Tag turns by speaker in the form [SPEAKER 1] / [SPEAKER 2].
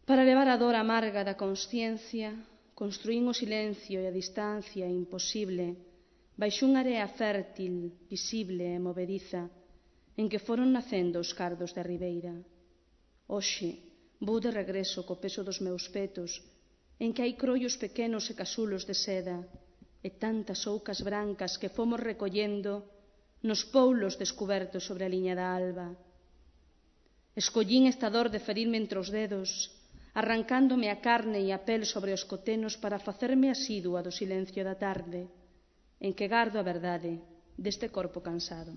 [SPEAKER 1] Para levar a dor amarga da consciencia, construín o silencio e a distancia imposible baixo unha area fértil, visible e movediza, en que foron nacendo os cardos da ribeira. Hoxe vou de regreso co peso dos meus petos, en que hai croios pequenos e casulos de seda, e tantas oucas brancas que fomos recollendo nos poulos descubertos sobre a liña da alba. Escollín esta dor de ferirme entre os dedos, arrancándome a carne e a pel sobre os cotenos para facerme asidua do silencio da tarde, en que gardo a verdade deste corpo cansado.